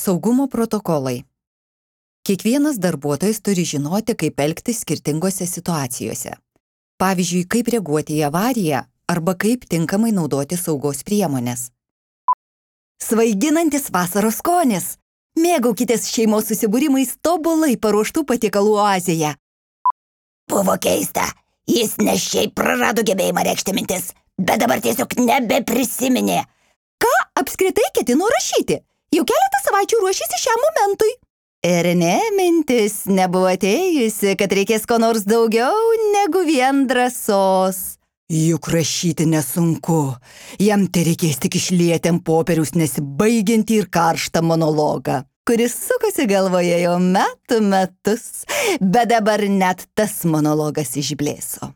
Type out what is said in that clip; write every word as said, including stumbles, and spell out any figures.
Saugumo protokolai. Kiekvienas darbuotojas turi žinoti, kaip elgtis skirtingose situacijose. Pavyzdžiui, kaip reaguoti į avariją arba kaip tinkamai naudoti saugos priemonės. Svaiginantis vasaros skonis. Mėgaukitės šeimos susibūrimais tobulai paruoštų patiekalų oazėje. Buvo keista. Jis ne šiaip prarado gebėjimą reikšti mintis, bet dabar tiesiog nebeprisiminė. Ką apskritai ketino rašyti? Jau keletą savaičių ruošėsi šiam momentui. Ir ne, mintis nebuvo atėjusi, kad reikės ko nors daugiau negu vien drąsos. Juk rašyti nesunku. Jam tai reikės tik išlieti ant popieriaus nesibaigiantį ir karštą monologą, kuris sukasi galvoje jau metų metus, bet dabar net tas monologas išblėso.